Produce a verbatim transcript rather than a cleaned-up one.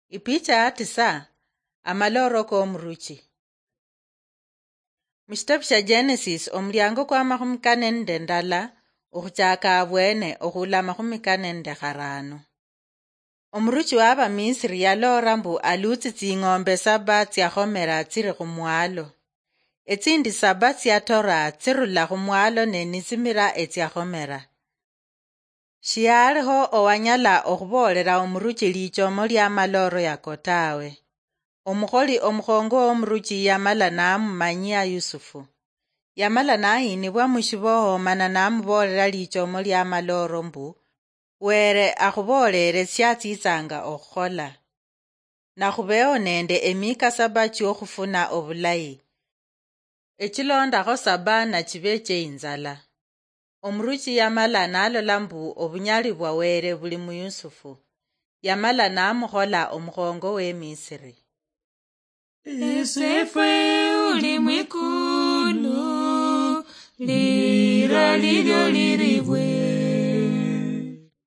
Ipicha ya tisa. Amalooro k'omuruchi. Mu shitabu sha Genesis, omulyango kwa makhumi kane nende ndala, okhuchaka abwene okhula makhumi kane nende kharano. Omuruchi wa Abamisiri yaloora mbu aluutsi tsing'ombe saba tsia khomera tsiri khumwalo. Etsindi saba tsiatora tsirula khumwalo ne nitsimira etsia khomera. Shialiho owanyala okhuboolela omuruchi lichomo lia malooro yako tawe. Omukholi omukhongo womuruchi yamala namumanyia Yusufu. Yamala nayinibwa mushiboho mana namuboolela lichomo lia malooro mbu, Were akhuboolele shiatsitsanga okhukhola. Nakhubeho nende emika saba chiokhufuna obulayi. Echilondakho saba nachibe cheinzala. Omuruchi yamala nalola mbu obunyali bwa Were buli mu Yusufu. Yamala namukhola omukhongo we Misiri. Esefwe uli mwikulu, lira lilyo liribwe.